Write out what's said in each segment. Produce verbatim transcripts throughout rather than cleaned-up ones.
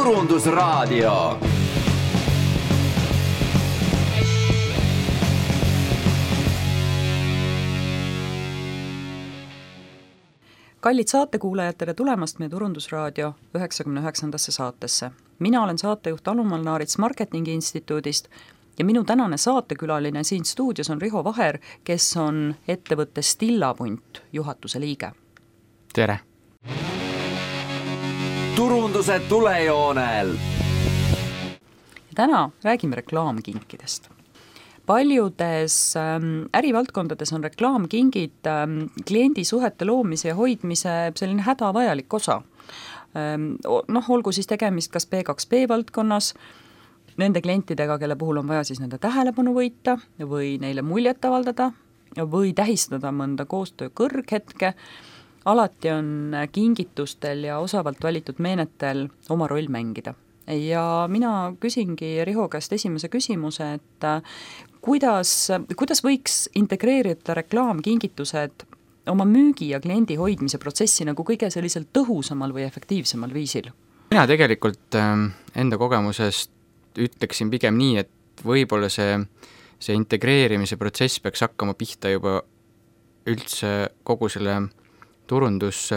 Turundusraadio. Kallid saatekuulajad, tere tulemast meie Turundusraadio üheksakümne üheksandasse saatesse. Mina olen saatejuht Alumal Naarits Marketingi Instituudist ja minu tänane saatekülaline siin stuudios on Riho Vaher, kes on ettevõtte Stillapunt juhatuse liige. Tere! Turunduse tulejoonel. Täna räägime reklaamkinkidest. Paljudes ähm, ärivaldkondades on reklaamkingid ähm, kliendisuhete loomise ja hoidmise selline hädavajalik osa. Ähm, noh, olgu siis tegemist kas B kaks B valdkonnas, nende klientidega, kelle puhul on vaja siis nende tähelepanu võita või neile muljet avaldada või tähistada mõnda koostöö kõrghetke. Alati on kingitustel ja osavalt valitud meenetel oma roll mängida. Ja mina küsingi Riho käest esimese küsimuse, et kuidas, kuidas võiks integreerida reklaamkingitused oma müügi ja kliendi hoidmise protsessi nagu kõige sellisel tõhusamal või efektiivsemal viisil? Mina tegelikult enda kogemusest ütleksin pigem nii, et võib-olla see, see integreerimise protsess peaks hakkama pihta juba üldse kogu selle turundus,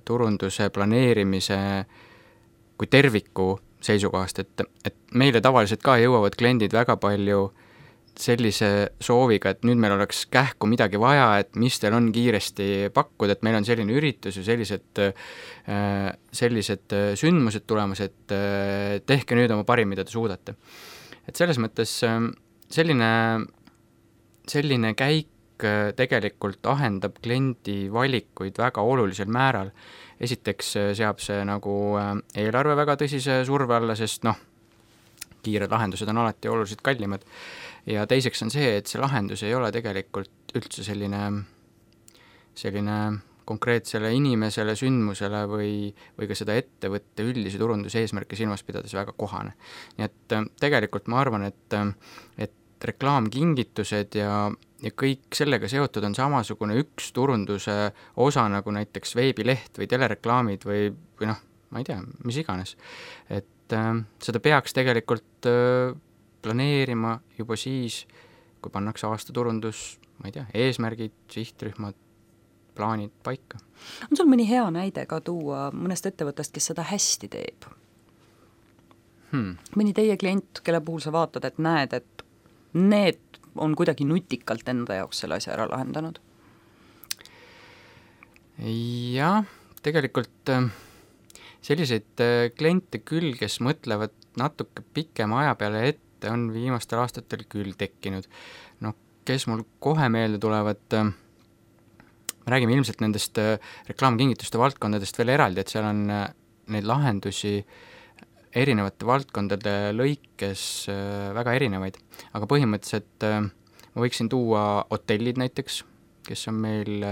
turunduse planeerimise kui terviku seisukohast, et, et meile tavaliselt ka jõuavad kliendid väga palju sellise sooviga, et nüüd meil oleks kähku midagi vaja, et mis teil on kiiresti pakkuda, et meil on selline üritus ja sellised, sellised sündmused tulemas, et tehke nüüd oma parim, mida te suudate. Et selles mõttes selline, selline käik tegelikult ahendab kliendi valikuid väga olulisel määral. Esiteks seab see nagu eelarve väga tõsise surve alla, sest noh, kiired lahendused on alati oluliselt kallimad. Ja teiseks on see, et see lahendus ei ole tegelikult üldse selline, selline konkreetsele inimesele, sündmusele või, või ka seda ettevõtte üldise turunduse eesmärke silmas pidades väga kohane. Nii et tegelikult ma arvan, et, et reklaamkingitused ja ja kõik sellega seotud on samasugune üks turunduse osa nagu näiteks veebileht või telereklaamid või, või noh, ma ei tea, mis iganes. Et äh, seda peaks tegelikult äh, planeerima juba siis, kui pannakse aasta turundus, ma ei tea, eesmärgid, sihtrühmad, plaanid paika. On sul mõni hea näide ka tuua mõnest ettevõttest, kes seda hästi teeb? Hmm. Mõni teie klient, kelle puhul sa vaatad, et näed, et need on kuidagi nutikalt enda jaoks selle asja ära lahendanud? Jah, tegelikult selliseid kliente küll, kes mõtlevad natuke pikema aja peale ette, on viimastel aastatel küll tekkinud. No, kes mul kohe meelde tulevad, me räägime ilmselt nendest reklaamkingituste valdkondadest veel eraldi, et seal on neid lahendusi erinevate valdkondade lõikes väga erinevaid, aga põhimõtteliselt ma võiksin tuua hotellid näiteks, kes on meil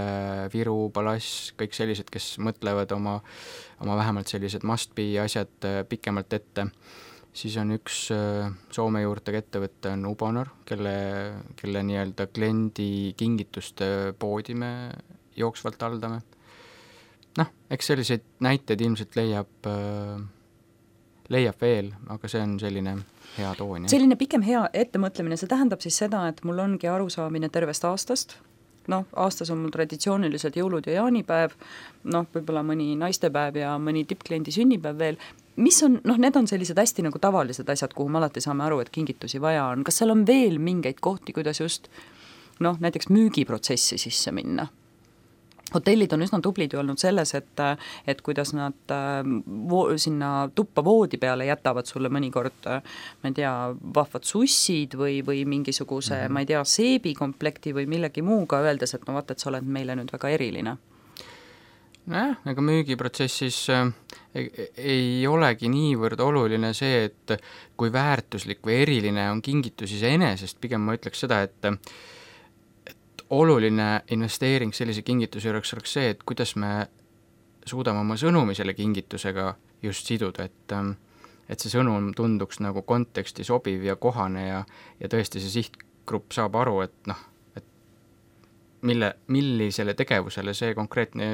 Viru, Palass, kõik sellised, kes mõtlevad oma, oma vähemalt sellised must-be asjad pikemalt ette. Siis on üks Soome juurtega ettevõtte on Ubonor, kelle, kelle nii-öelda kliendi kingituste poodi me jooksvalt haldame. Noh, eks selliseid näiteid ilmselt leiab leiab veel, aga see on selline hea toon. Selline pikem hea ettemõtlemine, see tähendab siis seda, et mul ongi arusaamine tervest aastast. Noh, aastas on mul traditsiooniliselt jõulud ja jaanipäev, noh, võib-olla mõni naistepäev ja mõni tippkliendi sünnipäev veel. Mis on, noh, need on sellised hästi nagu tavalised asjad, kuhu me alati saame aru, et kingitusi vaja on. Kas seal on veel mingeid kohti, kuidas just, noh, näiteks müügiprotsessi sisse minna? Hotellid on üsna tublid ju olnud selles, et, et kuidas nad vo, sinna tuppa voodi peale jätavad sulle mõnikord, ma ei tea, vahvad sussid või, või mingisuguse, mm-hmm. ma ei tea, seebikomplekti või millegi muuga, öeldes, et no vaata, et sa oled meile nüüd väga eriline. Nojah, ega müügiprotsessis ei, ei olegi niivõrd oluline see, et kui väärtuslik või eriline on kingitus iseenesest, pigem ma ütleks seda, et oluline investeering sellise kingituse juures oleks see, et kuidas me suudame oma sõnumi selle kingitusega just siduda, et, et see sõnum tunduks nagu konteksti sobiv ja kohane ja, ja tõesti see sihtgrupp saab aru, et noh, et mille, millisele tegevusele see konkreetne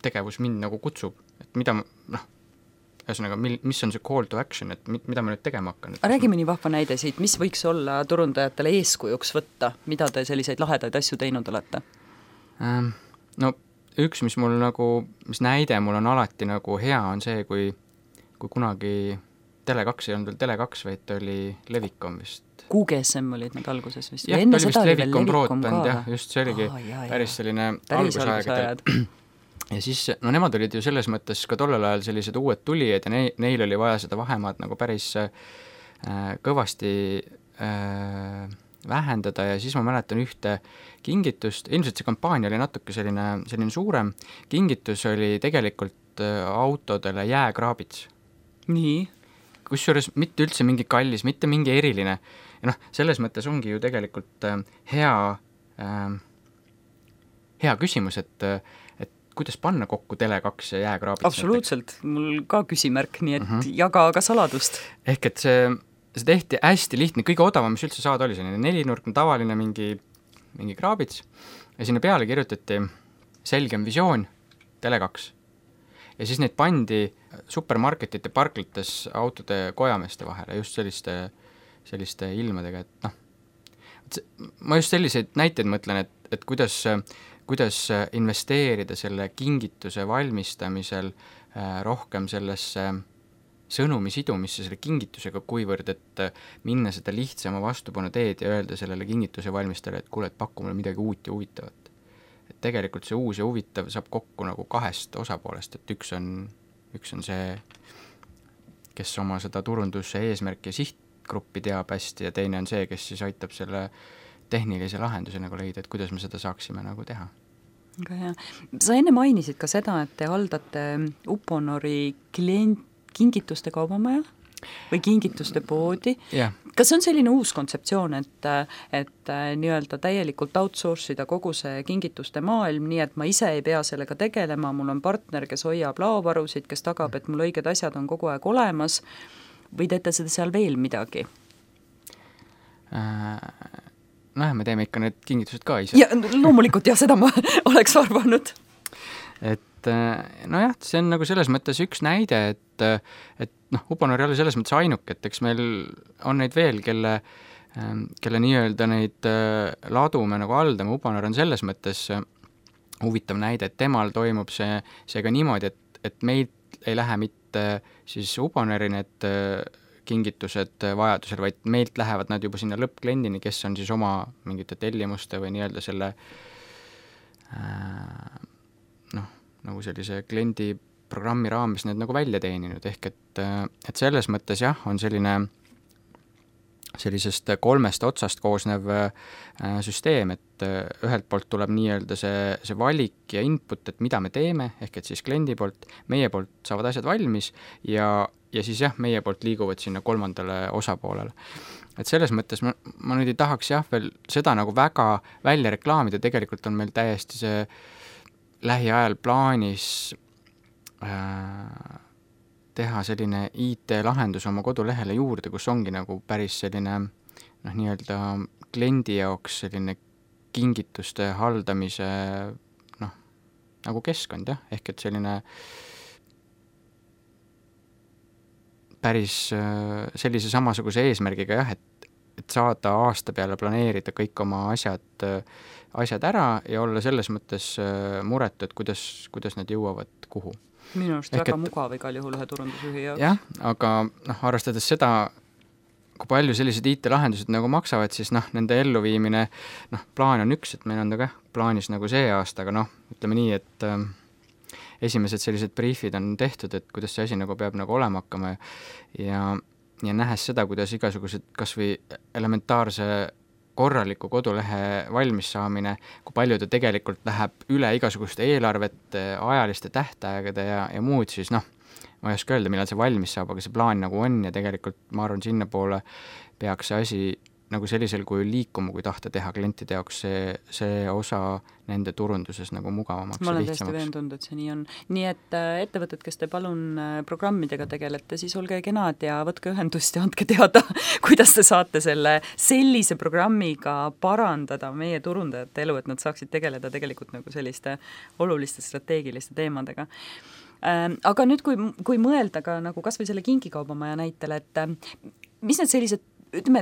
tegevus mind nagu kutsub, et mida noh, ühesõnaga, mil, mis on see call to action, et mida ma nüüd tegema hakkan? Räägi mõni vahva näide siit, mis võiks olla turundajatele eeskujuks võtta, mida te selliseid lahedaid asju teinud olete? Ähm, no üks, mis mul nagu, mis näide mul on alati nagu hea, on see, kui, kui kunagi Tele kaks ei olnud veel Tele kaks, vaid ta oli Levikom vist. Q G S M olid nad alguses vist? jah, ta oli vist Levikom broadband, jah, just see oligi oh, jah, päris selline algusaegadel. Ja siis, no nemad olid ju selles mõttes ka tollel ajal sellised uued tulijad ja ne, neil oli vaja seda vahemaad nagu päris äh, kõvasti äh, vähendada ja siis ma mäletan ühte kingitust, ilmselt see kampaania oli natuke selline, selline suurem, kingitus oli tegelikult äh, autodele jääkraabits. Nii? Kusjuures mitte üldse mingi kallis, mitte mingi eriline. Ja noh, selles mõttes ongi ju tegelikult äh, hea, äh, hea küsimus, et äh, kuidas panna kokku Tele kaks ja jääkraabits? Absoluutselt, näiteks. Mul ka küsimärk, nii et uh -huh. jaga aga saladust. Ehk et see, see tehti hästi lihtne, kõige odavam, mis üldse saada oli, selline nelinurkne tavaline mingi, mingi kraabits ja sinna peale kirjutati selgem visioon Tele kaks. Ja siis neid pandi supermarketite parklates autode kojameeste vahele, just selliste, selliste ilmadega, et noh, ma just selliseid näiteid mõtlen, et, et kuidas kuidas investeerida selle kingituse valmistamisel äh, rohkem sellesse sõnumi sidumisse selle kingitusega, kuivõrd, et minna seda lihtsama vastupanu teed ja öelda sellele kingituse valmistajale, et kuule, et paku mulle midagi uut ja huvitavat. Et tegelikult see uus ja huvitav saab kokku nagu kahest osapoolest, et üks on, üks on see, kes oma seda turunduse eesmärki ja sihtgruppi teab hästi ja teine on see, kes siis aitab selle tehnilise lahenduse nagu leida, et kuidas me seda saaksime nagu teha. Väga hea. Sa enne mainisid ka seda, et te haldate Uponori klient, kingituste kaubamaja või kingituste poodi. Yeah. Kas on selline uus kontseptsioon, et, et nii-öelda täielikult outsource ida kogu see kingituste maailm, nii et ma ise ei pea sellega tegelema, mul on partner, kes hoiab laovarusid, kes tagab, et mul õiged asjad on kogu aeg olemas, või teete seda seal veel midagi? Äh... noh, me teeme ikka need kingitused ka ise. Ja loomulikult jah, seda ma oleks arvanud. Et nojah, see on nagu selles mõttes üks näide, et, et noh, Uponor ei ole selles mõttes ainuk, et eks meil on neid veel, kelle, kelle nii-öelda neid ladu me nagu haldame. Uponor on selles mõttes huvitav näide, et temal toimub see, see ka niimoodi, et, et meid ei lähe mitte siis Uponori need kingitused vajadusel, vaid meilt lähevad nad juba sinna lõppkliendini, kes on siis oma mingite tellimuste või nii-öelda selle äh, noh, nagu sellise kliendi programmi raames need nagu välja teeninud, ehk et, et selles mõttes jah, on selline sellisest kolmest otsast koosnev äh, süsteem, et äh, ühelt poolt tuleb nii-öelda see, see valik ja input, et mida me teeme, ehk et siis kliendi poolt, meie poolt saavad asjad valmis ja ja siis jah, meie poolt liiguvad sinna kolmandale osapoolele. Et selles mõttes ma, ma nüüd ei tahaks jah veel seda nagu väga välja reklaamida, tegelikult on meil täiesti see lähiajal plaanis äh, teha selline I T-lahendus oma kodulehele juurde, kus ongi nagu päris selline noh, nii-öelda kliendi jaoks selline kingituste haldamise noh, nagu keskkond jah, ehk et selline päris sellise samasuguse eesmärgiga jah, et, et saada aasta peale planeerida kõik oma asjad, asjad ära ja olla selles mõttes muretu, et kuidas, kuidas need jõuavad kuhu. Minu arust väga et, mugav igal juhul ühe turundusjuhi jaoks. Jah, aga noh, arvestades seda, kui palju sellised I T-lahendused nagu maksavad, siis noh, nende elluviimine, noh, plaan on üks, et meil on ta ka plaanis nagu see aasta, aga noh, ütleme nii, et äh, esimesed sellised briefid on tehtud, et kuidas see asi nagu peab nagu olema hakkama ja, ja nähes seda, kuidas igasugused kas või elementaarse korraliku kodulehe valmis saamine, kui palju ta tegelikult läheb üle igasuguste eelarvete, ajaliste tähtaegade ja, ja muud, siis noh, ma ei oska öelda, millal see valmis saab, aga see plaan nagu on ja tegelikult ma arvan, sinna poole peaks see asi nagu sellisel kujul liikuma, kui tahta teha klientide jaoks see, see osa nende turunduses nagu mugavamaks ja lihtsamaks. Ma olen täiesti veendunud, et see nii on. Nii et ettevõtted, kes te palun programmidega tegelete, siis olge kenad ja võtke ühendust ja andke teada, kuidas te saate selle sellise programmiga parandada meie turundajate elu, et nad saaksid tegeleda tegelikult nagu selliste oluliste strateegiliste teemadega. Aga nüüd, kui, kui mõelda ka nagu kas või selle kingikaubamaja näitel, et mis need sellised, ütleme,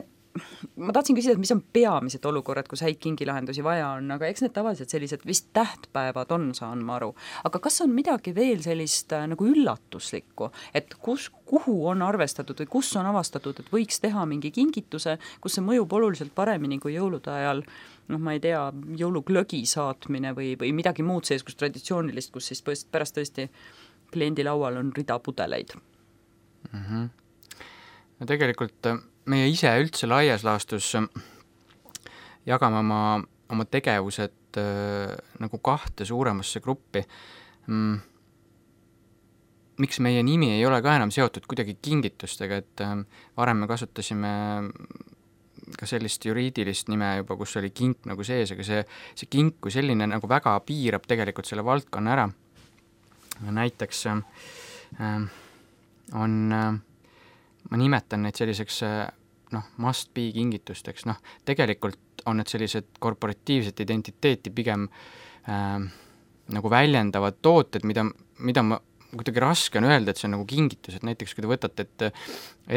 ma tahtsin küsida, et mis on peamised olukorrad, kus häid kingilahendusi vaja on, aga eks need tavaliselt sellised vist tähtpäevad on, saan ma aru. Aga kas on midagi veel sellist nagu üllatuslikku, et kus, kuhu on arvestatud või kus on avastatud, et võiks teha mingi kingituse, kus see mõjub oluliselt paremini kui jõulude ajal, noh, ma ei tea, jõuluglögi saatmine või, või midagi muud sees, kus traditsioonilist, kus siis pärast tõesti kliendi laual on rida pudeleid? Mm-hmm. No tegelikult meie ise üldse laias laastus jagame oma, oma tegevused äh, nagu kahte suuremasse gruppi. Mm. Miks meie nimi ei ole ka enam seotud kuidagi kingitustega, et äh, varem me kasutasime ka sellist juriidilist nime juba, kus oli kink nagu sees, aga see, see kink kui selline nagu väga piirab tegelikult selle valdkonna ära. Näiteks äh, on äh, ma nimetan neid selliseks noh, must be kingitusteks, noh, tegelikult on need sellised korporatiivset identiteeti pigem äh, nagu väljendavad tooted, mida, mida ma kuidagi raske on öelda, et see on nagu kingitus, et näiteks kui te võtate, et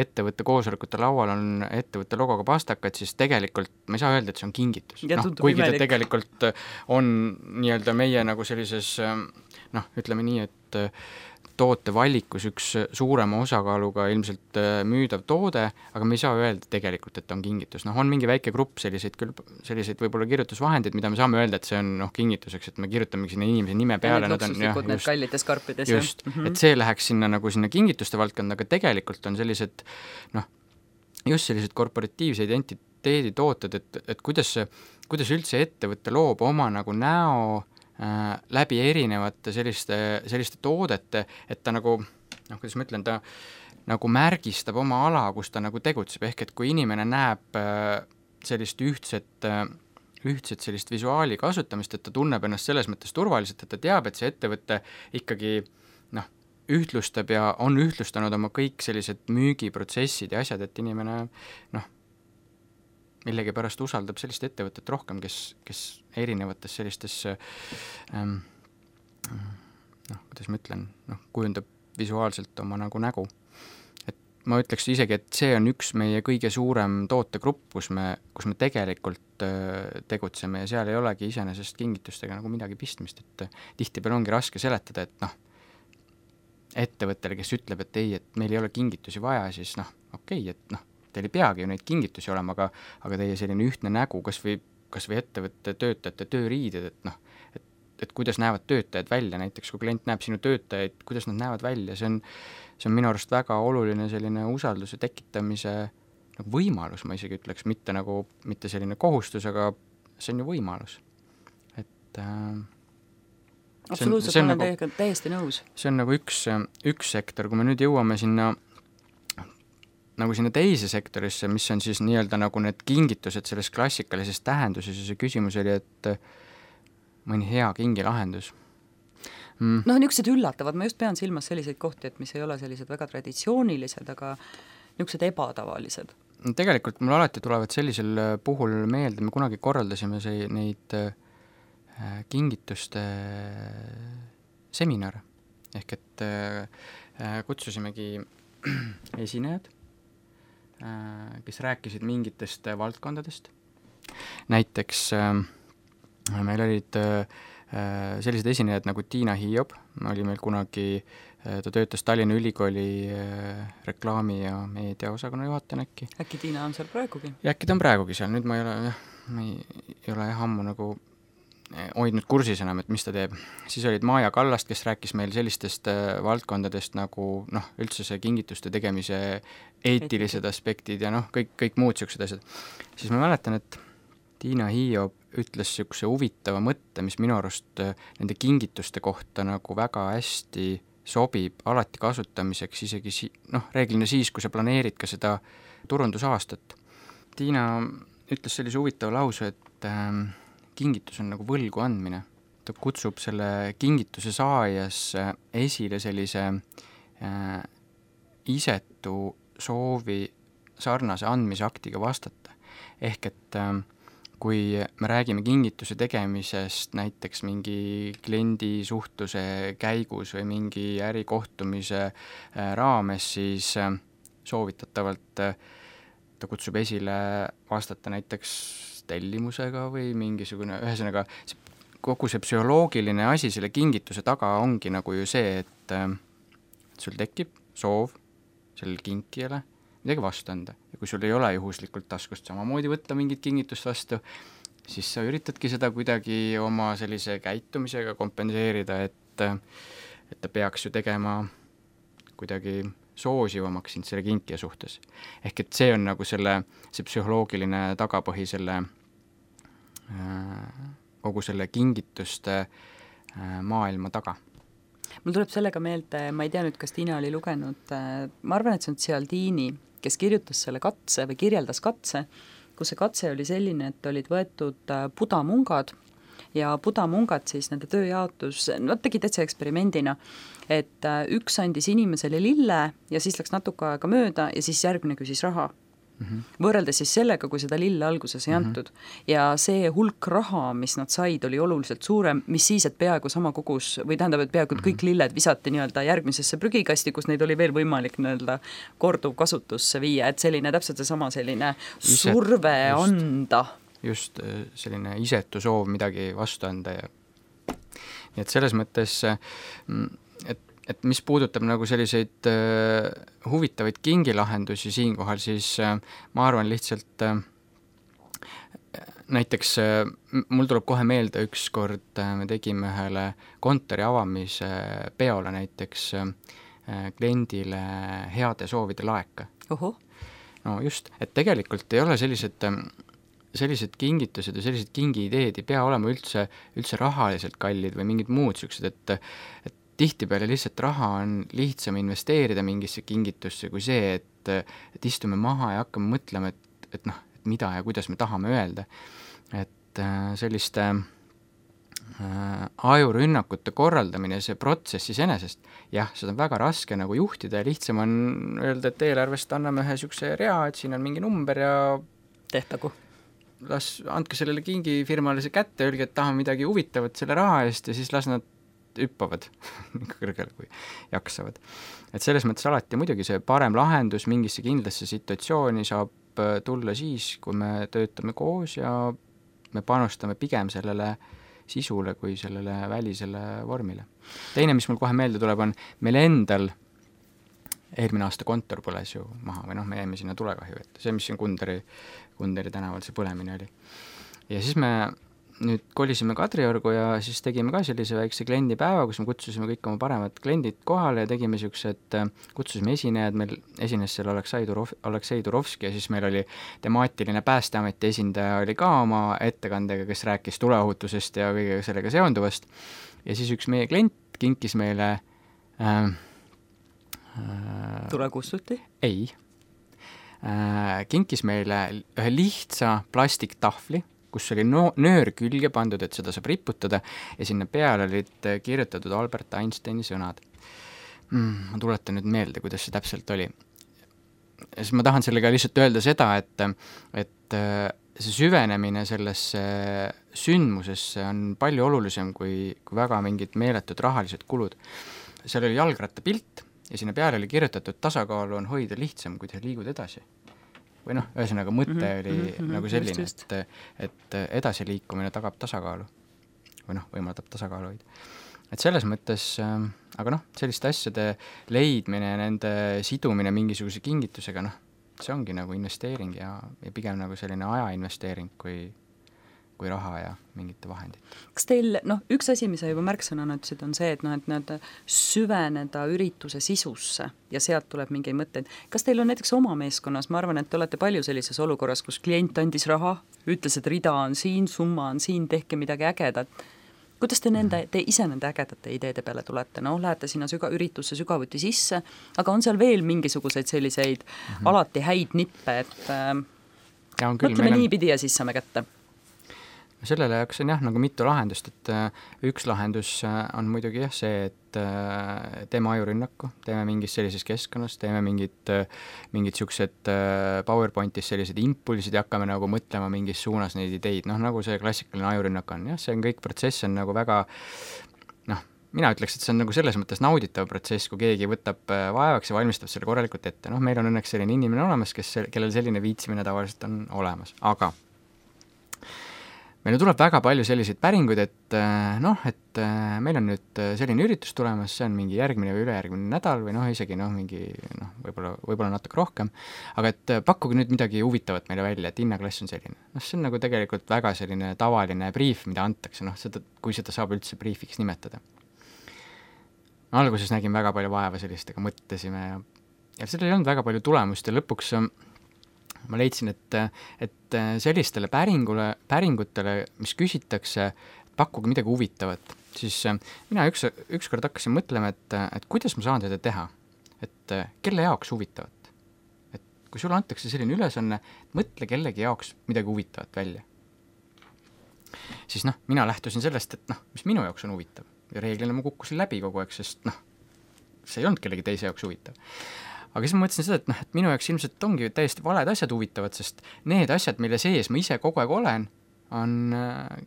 ettevõtte koosolekute laual on ettevõtte logoga pastakad, siis tegelikult ma ei saa öelda, et see on kingitus. No, kuigi imelik. Ta tegelikult on nii-öelda meie nagu sellises noh, ütleme nii, et toote valikus üks suurema osakaaluga ilmselt müüdav toode, aga me ei saa öelda tegelikult, et on kingitus. Noh, on mingi väike grupp selliseid, küll, selliseid võib-olla kirjutusvahendeid, mida me saame öelda, et see on noh, kingituseks, et me kirutame sinna inimese nime peale. Need luksuslikud, need kallides karpides. Just, mm-hmm. Et see läheks sinna nagu sinna kingituste valdkonda, aga tegelikult on sellised noh, just sellised korporatiivse identiteedi tooted, et, et kuidas, kuidas üldse ettevõtte loob oma nagu näo Äh, läbi erinevate selliste, selliste toodete, et ta nagu, noh, kuidas ma ütlen, ta nagu märgistab oma ala, kus ta nagu tegutseb, ehk et kui inimene näeb äh, sellist ühtset, äh, ühtset sellist visuaali kasutamist, et ta tunneb ennast selles mõttes turvaliselt, et ta teab, et see ettevõte ikkagi noh, ühtlustab ja on ühtlustanud oma kõik sellised müügiprotsessid ja asjad, et inimene noh, millegi pärast usaldab sellist ettevõtet rohkem, kes, kes erinevates sellistes ähm, noh, kuidas ma ütlen, noh, kujundab visuaalselt oma nagu nägu. Et ma ütleks isegi, et see on üks meie kõige suurem tootegrupp, kus me, kus me tegelikult äh, tegutseme ja seal ei olegi iseenesest kingitustega nagu midagi pistmist, et äh, tihtipeale ongi raske seletada, et noh, ettevõttele, kes ütleb, et ei, et meil ei ole kingitusi vaja, siis noh, okei, et noh, teil ei peagi ju neid kingitusi olema, aga, aga teie selline ühtne nägu, kas või, kas või ettevõtte töötajate tööriided, et noh, et, et kuidas näevad töötajad välja, näiteks kui klient näeb sinu töötajaid, kuidas nad näevad välja, see on, see on minu arust väga oluline selline usalduse tekitamise nagu võimalus, ma isegi ütleks, mitte nagu, mitte selline kohustus, aga see on ju võimalus. Et äh, absoluutselt, olen nagu, teiega täiesti nõus. See on nagu üks, üks sektor, kui me nüüd jõuame sinna nagu sinna teise sektorisse, mis on siis nii-öelda nagu need kingitused selles klassikalises tähenduses ja see küsimus oli, et mõni hea kingilahendus. Mm. Noh, niisugused üllatavad, ma just pean silmas selliseid kohti, et mis ei ole sellised väga traditsioonilised, aga niisugused ebatavalised. Tegelikult mul alati tulevad sellisel puhul meelde, me kunagi korraldasime see, neid äh, kingituste seminare, ehk et äh, kutsusimegi esinejad, kes rääkisid mingitest valdkondadest. Näiteks äh, meil olid äh, sellised esinejad nagu Tiina Hiob, oli meil kunagi, äh, ta töötas Tallinna Ülikooli äh, reklaami- ja meediaosakonna juhataja äkki. Äkki Tiina on seal praegugi? Ja äkki ta on praegugi seal, nüüd ma ei ole, jah, ma ei, ei ole jah ammu nagu hoidnud kursis enam, et mis ta teeb. Siis olid Maja Kallast, kes rääkis meil sellistest äh, valdkondadest nagu noh, üldse see kingituste tegemise eetilised aspektid ja noh, kõik, kõik muud siuksed asjad. Siis ma mäletan, et Tiina Hiob ütles siukse huvitava mõtte, mis minu arust äh, nende kingituste kohta nagu väga hästi sobib alati kasutamiseks, isegi si- noh, reeglina siis, kui sa planeerid ka seda turundusaastat. Tiina ütles sellise huvitava lause, et äh, kingitus on nagu võlgu andmine. Ta kutsub selle kingituse saajas esile sellise äh, isetu soovi sarnase andmisaktiga vastata. Ehk et äh, kui me räägime kingituse tegemisest näiteks mingi kliendi suhtluse käigus või mingi ärikohtumise raames, siis soovitatavalt ta kutsub esile vastata näiteks tellimusega või mingisugune, ühesõnaga kogu see psühholoogiline asi selle kingituse taga ongi nagu ju see, et sul tekib soov sellele kinkijale midagi vastu anda. Ja kui sul ei ole juhuslikult taskust samamoodi võtta mingit kingitust vastu, siis sa üritadki seda kuidagi oma sellise käitumisega kompenseerida, et, et ta peaks ju tegema kuidagi soosivamaks sind selle kinkija suhtes. Ehk et see on nagu selle, see psühholoogiline tagapõhi selle kogu selle kingituste maailma taga. Mul tuleb sellega meelde, ma ei tea nüüd, kas Tiina oli lugenud, ma arvan, et see on Cialdini, kes kirjutas selle katse või kirjeldas katse, kus see katse oli selline, et olid võetud budamungad ja budamungad siis nende tööjaotus, nad tegid täitsa eksperimendina, et üks andis inimesele lille ja siis läks natuke aega mööda ja siis järgmine küsis raha. Mm-hmm. Võrreldes siis sellega, kui seda lille alguses ei antud. Mm-hmm. Ja see hulk raha, mis nad said, oli oluliselt suurem, mis siis, et peaaegu sama kogus, või tähendab, et peaaegu mm-hmm. kõik lilled visati nii-öelda järgmisesse prügikasti, kus neid oli veel võimalik nii-öelda korduv kasutusse viia, et selline täpselt see sama selline Iset, surve just, anda. Just selline isetu soov midagi vastu anda ja nii et selles mõttes, et et mis puudutab nagu selliseid äh, huvitavaid kingilahendusi siinkohal, siis äh, ma arvan lihtsalt äh, näiteks äh, mul tuleb kohe meelde üks kord äh, me tegime ühele kontori avamise peole näiteks äh, kliendile heade soovide laeka. Oho. No just, et tegelikult ei ole sellised äh, sellised kingitused ja sellised kingiideed ei pea olema üldse, üldse rahaliselt kallid või mingid muud sellised, et, et tihtipeale lihtsalt raha on lihtsam investeerida mingisse kingitusse kui see, et, et istume maha ja hakkame mõtlema, et, et noh, et mida ja kuidas me tahame öelda. Et selliste äh, ajurünnakute korraldamine, see protsess iseenesest, jah, seda on väga raske nagu juhtida ja lihtsam on öelda, et eelarvest anname ühe sükse rea, et siin on mingi number ja tehtagu. Las andke sellele kingifirmale see kätte, öelge, et tahame midagi huvitavat selle raha eest ja siis las nad hüppavad kõrgele, kui jaksavad. Et selles mõttes alati muidugi see parem lahendus mingisse kindlasse situatsiooni saab tulla siis, kui me töötame koos ja me panustame pigem sellele sisule kui sellele välisele vormile. Teine, mis mul kohe meelde tuleb, on meil endal eelmine aasta kontor põles ju maha või noh, me jäime sinna tulekahju, et see, mis siin Kunderi, Kunderi tänaval see põlemine oli. Ja siis me nüüd kolisime Kadriorgu ja siis tegime ka sellise väikse kliendipäeva, kus me kutsusime kõik oma paremad kliendid kohale ja tegime siuksed, kutsusime esinejad, meil esines seal Aleksei Turov, Aleksei Turovski ja siis meil oli temaatiline Päästeameti esindaja oli ka oma ettekandega, kes rääkis tuleohutusest ja kõige sellega seonduvast. Ja siis üks meie klient kinkis meile äh, äh, tulekustuti? Ei. Äh, kinkis meile ühe lihtsa plastiktahvli, kus oli no, nöör külge pandud, et seda saab riputada ja sinna peale olid kirjutatud Albert Einsteini sõnad. Mm, ma tuletan nüüd meelde, kuidas see täpselt oli. Ja siis ma tahan sellega lihtsalt öelda seda, et, et see süvenemine sellesse sündmusesse on palju olulisem kui, kui väga mingid meeletud rahalised kulud. Seal oli jalgratta pilt ja sinna peale oli kirjutatud tasakaalu on hoida lihtsam, kui te liigud edasi. Või noh, ühesõnaga mõte mm-hmm, oli mm-hmm, nagu selline, just, just. Et, et edasiliikumine tagab tasakaalu või noh, võimaldab tasakaalu hoida. Et selles mõttes, aga noh, selliste asjade leidmine ja nende sidumine mingisuguse kingitusega, noh, see ongi nagu investeering ja, ja pigem nagu selline ajainvesteering kui, kui raha ja mingite vahendid. Kas teil, noh, üks asi, mis sa juba märksõnana ütlesid, on see, et noh, et need süveneda ürituse sisusse ja sealt tuleb mingeid mõtteid. Kas teil on näiteks oma meeskonnas, ma arvan, et te olete palju sellises olukorras, kus klient andis raha, ütles, et rida on siin, summa on siin, tehke midagi ägedat. Kuidas te, nende, te ise nende ägedate ideede peale tulete? No, lähete sinna süga, üritusse sügavuti sisse, aga on seal veel mingisuguseid selliseid mm-hmm. alati häid nippe, et äh, ja on küll, mõtleme on... niipidi ja siis saame kätte. sellele jaoks on jah, nagu mitu lahendust, et üks lahendus on muidugi jah see, et teeme ajurünnaku, teeme mingis sellises keskkonnas, teeme mingid, mingid siuksed PowerPointis sellised impulsid ja hakkame nagu mõtlema mingis suunas neid ideid, noh nagu see klassikaline ajurünnak on, jah, see on kõik protsess on nagu väga, noh, mina ütleks, et see on nagu selles mõttes nauditav protsess, kui keegi võtab vaevaks ja valmistab selle korralikult ette, noh, meil on õnneks selline inimene olemas, kes, kellel selline viitsimine tavaliselt on olemas, aga meil tuleb väga palju selliseid päringuid, et noh, et meil on nüüd selline üritus tulemas, see on mingi järgmine või ülejärgmine nädal või noh, isegi noh, mingi noh, võib-olla, võib-olla natuke rohkem, aga et pakkuge nüüd midagi huvitavat meile välja, et hinnaklass on selline. Noh, see on nagu tegelikult väga selline tavaline briif, mida antakse, noh, seda, kui seda saab üldse briifiks nimetada. Alguses nägin väga palju vaeva sellistega, mõtlesime ja, ja sellel ei olnud väga palju tulemust ja lõpuks ma leidsin, et, et sellistele päringule, päringutele, mis küsitakse, pakkuge midagi huvitavat, siis mina üks, ükskord hakkasin mõtlema, et, et kuidas ma saan seda teha, et kelle jaoks huvitavat. Et kui sulle antakse selline ülesanne, mõtle kellegi jaoks midagi huvitavat välja. Siis noh, mina lähtusin sellest, et noh, mis minu jaoks on huvitav ja reeglina ma kukkusin läbi kogu aeg, sest noh, see ei olnud kellegi teise jaoks huvitav. Aga siis ma mõtlesin seda, et, noh, et minu jaoks ilmselt ongi täiesti valed asjad huvitavad, sest need asjad, mille sees ma ise kogu aeg olen, on äh,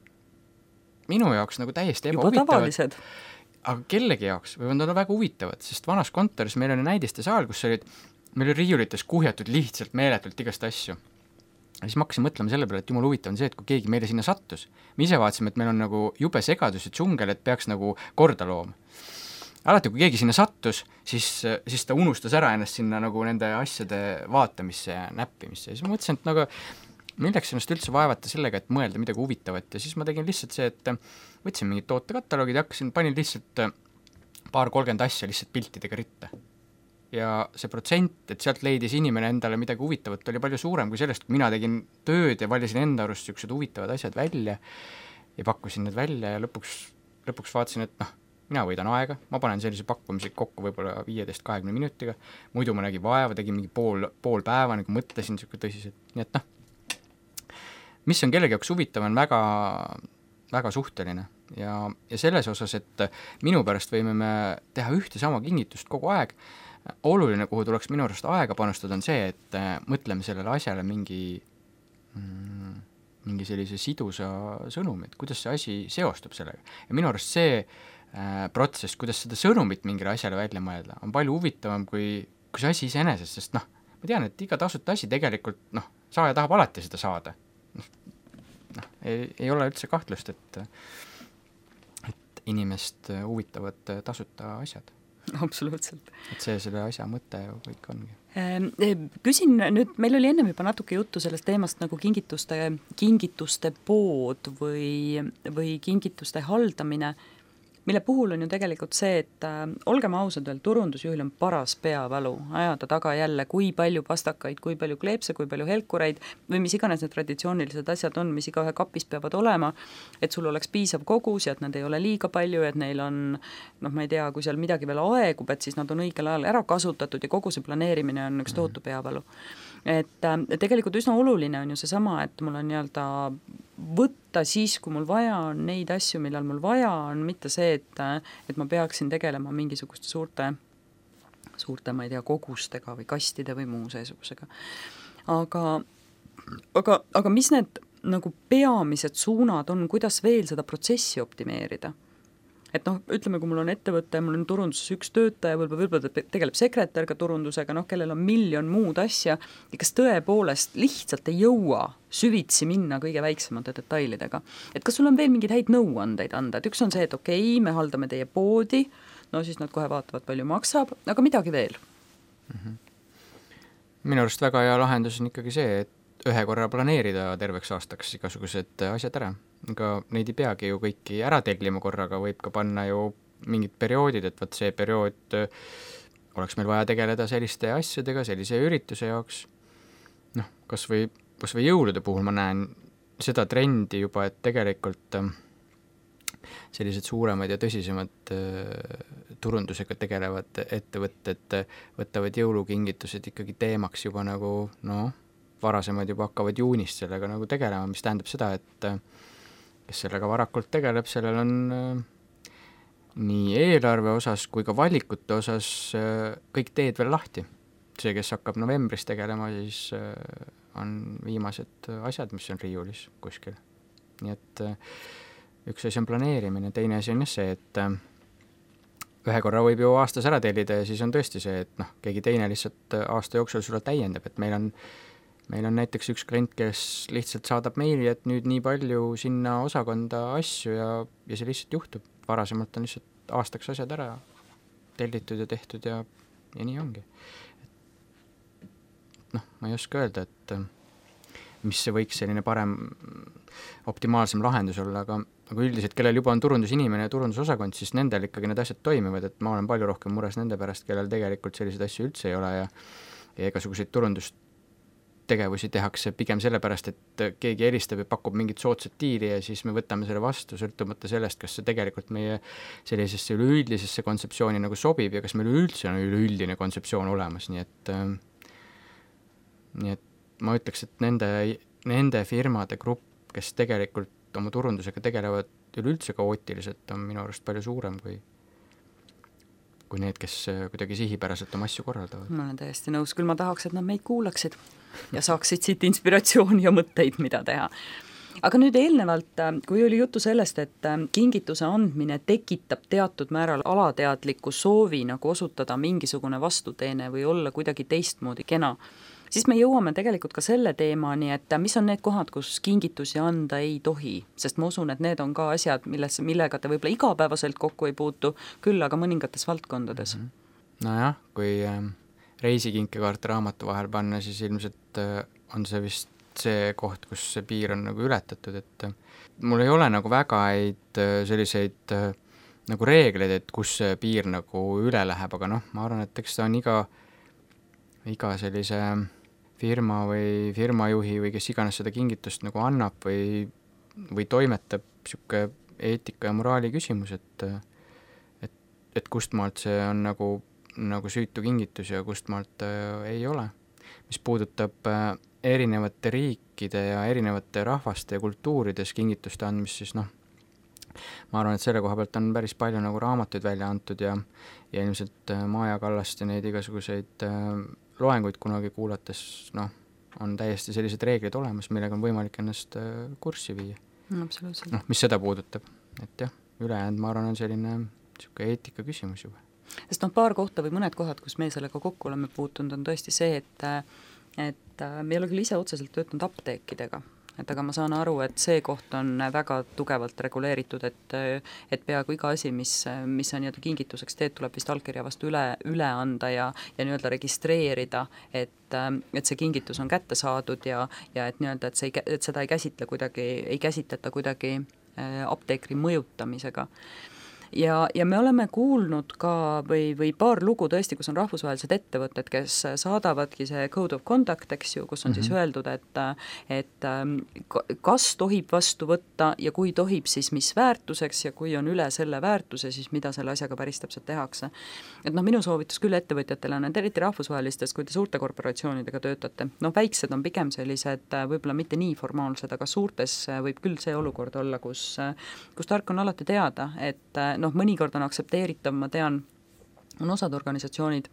minu jaoks nagu täiesti ebahuvitavad. Aga kellegi jaoks võivad olla väga huvitavad, sest vanas kontoris meil on näidiste saal, kus olid, meil oli riiulites kuhjatud lihtsalt meeletult igast asju. Ja siis ma hakkasin mõtlema selle peale, et jumal huvitav on see, et kui keegi meile sinna sattus, me ise vaatasime, et meil on nagu jube segadus ja džungel, et peaks nagu korda looma. Alati, kui keegi sinna sattus, siis, siis ta unustas ära ennast sinna nagu nende asjade vaatamisse ja näppimisse. Ja siis ma mõtlesin, et nagu, milleks ennast üldse vaevata sellega, et mõelda midagi huvitavat. Ja siis ma tegin lihtsalt see, et võtsin mingid tootekataloogid ja hakkasin, panin lihtsalt paar kolmkümmend asja lihtsalt piltidega ritta. Ja see protsent, et sealt leidis inimene endale midagi huvitavat, oli palju suurem kui sellest, kui mina tegin tööd ja valisin enda arust siuksed huvitavad asjad välja ja pakkusin need välja ja lõpuks, lõpuks vaatasin, et noh, mina võidan aega, ma panen sellise pakkumise kokku võib-olla viieteist kahekümne minutiga, muidu ma nägin vaeva, tegin mingi pool, pool päeva, nagu mõtlesin siuke tõsiselt, nii et noh, mis on kellegi jaoks huvitav, on väga, väga suhteline ja, ja selles osas, et minu pärast võime me teha ühte sama kingitust kogu aeg, oluline, kuhu tuleks minu arust aega panustada, on see, et mõtleme sellele asjale mingi mm, mingi sellise sidusa sõnumi, et kuidas see asi seostub sellega ja minu arust see protsess, kuidas seda sõnumit mingile asjale välja mõelda, on palju huvitavam kui, kui see asi iseenesest, sest noh, ma tean, et iga tasuta asi tegelikult, noh, saaja tahab alati seda saada. Noh, noh ei, ei ole üldse kahtlust, et, et inimest huvitavad tasuta asjad. Absoluutselt. Et see selle asja mõte ju kõik ongi. Küsin nüüd, meil oli ennem juba natuke juttu sellest teemast nagu kingituste, kingituste pood või, või kingituste haldamine, mille puhul on ju tegelikult see, et äh, olgem ausad veel, turundusjuhil on paras peavalu ajada taga jälle, kui palju pastakaid, kui palju kleepse, kui palju helkureid või mis iganes need traditsioonilised asjad on, mis igaühe kapis peavad olema, et sul oleks piisav kogus ja et nad ei ole liiga palju, et neil on, noh, ma ei tea, kui seal midagi veel aegub, et siis nad on õigel ajal ära kasutatud ja kogu see planeerimine on üks tohutu peavalu. Et äh, tegelikult üsna oluline on ju seesama, et mul on nii-öelda võtta siis, kui mul vaja on neid asju, millal mul vaja on, mitte see, et, et ma peaksin tegelema mingisuguste suurte, suurte, ma ei tea, kogustega või kastide või muu seesugusega. Aga, aga, aga mis need nagu peamised suunad on, kuidas veel seda protsessi optimeerida? Et noh, ütleme, kui mul on ettevõte, mul on turunduses üks töötaja, võib-olla, võib-olla tegeleb sekretärga turundusega, noh, kellel on miljon muud asja, ja kas tõepoolest lihtsalt ei jõua süvitsi minna kõige väiksemate detailidega. Et kas sul on veel mingeid häid nõuandeid anda, et üks on see, et okei, okay, me haldame teie poodi, no siis nad kohe vaatavad, palju maksab, aga midagi veel? Mm-hmm. Minu arust väga hea lahendus on ikkagi see, et ühe korra planeerida terveks aastaks igasugused asjad ära. Aga neid ei peagi ju kõiki ära tellima korraga, võib ka panna ju mingid perioodid, et võt see periood oleks meil vaja tegeleda selliste asjadega, sellise ürituse jaoks. Noh, kas või, kas või jõulude puhul ma näen seda trendi juba, et tegelikult sellised suuremad ja tõsisemad turundusega tegelevad ettevõtted võtavad jõulukingitused ikkagi teemaks juba nagu, noh, varasemad juba hakkavad juunist sellega nagu tegelema, mis tähendab seda, et kes sellega varakult tegeleb, sellel on äh, nii eelarve osas kui ka valikute osas äh, kõik teed veel lahti. See, kes hakkab novembris tegelema, siis äh, on viimased asjad, mis on riiulis kuskil. Nii et äh, üks asi on planeerimine, teine asi on see, et äh, ühe korra võib ju aastas ära tellida ja siis on tõesti see, et noh, keegi teine lihtsalt aasta jooksul sulle täiendab, et meil on, meil on näiteks üks klient, kes lihtsalt saadab meili, et nüüd nii palju sinna osakonda asju ja, ja see lihtsalt juhtub. Varasemalt on lihtsalt aastaks asjad ära tellitud ja tehtud ja, ja nii ongi. Noh, ma ei oska öelda, et mis see võiks selline parem, optimaalsem lahendus olla, aga aga üldiselt, kellel juba on turundusinimene ja turundusosakond, siis nendel ikkagi need asjad toimivad, et ma olen palju rohkem mures nende pärast, kellel tegelikult selliseid asju üldse ei ole ja, ja igasuguseid turundustegevusi tehakse pigem sellepärast, et keegi helistab ja pakub mingit soodsat diili ja siis me võtame selle vastu, sõltumata sellest, kas see tegelikult meie sellisesse üleüldisesse kontseptsiooni nagu sobib ja kas meil üldse on üleüldine kontseptsioon olemas, nii et äh, nii et ma ütleks, et nende, nende firmade grupp, kes tegelikult oma turundusega tegelevad üleüldse kaootiliselt, on minu arust palju suurem kui, kui need, kes kuidagi sihipäraselt oma asju korraldavad. Ma olen täiesti nõus, küll ma tahaks, et nad meid kuulaksid ja saaksid siit inspiratsiooni ja mõtteid, mida teha. Aga nüüd eelnevalt, kui oli juttu sellest, et kingituse andmine tekitab teatud määral alateadliku soovi nagu osutada mingisugune vastuteene või olla kuidagi teistmoodi kena, siis me jõuame tegelikult ka selle teemani, et mis on need kohad, kus kingitusi anda ei tohi, sest ma usun, et need on ka asjad, milles, millega te võib-olla igapäevaselt kokku ei puutu, küll aga mõningates valdkondades. Nojah, kui äh, reisikinkekaarte raamatu vahel panna, siis ilmselt äh, on see vist see koht, kus see piir on nagu ületatud, et äh, mul ei ole nagu väga häid äh, selliseid äh, nagu reegleid, et kus see piir nagu üle läheb, aga noh, ma arvan, et eks ta on iga, iga sellise firma või firmajuhi või kes iganes seda kingitust nagu annab või, või toimetab siuke eetika ja moraali küsimus, et, et, et kust maalt see on nagu, nagu süütu kingitus ja kust maalt äh, ei ole. Mis puudutab äh, erinevate riikide ja erinevate rahvaste ja kultuurides kingituste andmist, siis noh, ma arvan, et selle koha pealt on päris palju nagu raamatuid välja antud ja, ja ilmselt äh, Maja Kallast ja neid igasuguseid äh, loenguid kunagi kuulates, noh, on täiesti sellised reeglid olemas, millega on võimalik ennast kurssi viia. Absoluutselt. Noh, mis seda puudutab, et jah, ülejäänud, ma arvan, on selline siuke eetika küsimus juba. Sest noh, paar kohta või mõned kohad, kus me sellega kokku oleme puutunud, on tõesti see, et, et me ei ole küll ise otseselt töötanud apteekidega, et aga ma saan aru, et see koht on väga tugevalt reguleeritud, et, et peaaegu iga asi, mis, mis sa nii-öelda kingituseks teed, tuleb vist allkirja vastu üle, üle anda ja, ja nii-öelda registreerida, et, et see kingitus on kätte saadud ja, ja et nii-öelda, et, see ei, et seda ei käsitle kuidagi, ei käsitleta kuidagi apteekri mõjutamisega. Ja, ja me oleme kuulnud ka või, või paar lugu tõesti, kus on rahvusvahelised ettevõtted, kes saadavadki see Code of Conduct, eks ju, kus on mm-hmm. siis öeldud, et, et kas tohib vastu võtta ja kui tohib, siis mis väärtuseks ja kui on üle selle väärtuse, siis mida selle asjaga päris täpselt tehakse. Et noh, minu soovitus küll ettevõtjatele on, et eriti rahvusvahelistes, kui te suurte korporatsioonidega töötate, noh, väiksed on pigem sellised, võib-olla mitte nii formaalsed, aga suurtes võib küll see olukord olla, kus, kus tark on alati teada, et noh, mõnikord on aktsepteeritav, ma tean, on osad organisatsioonid,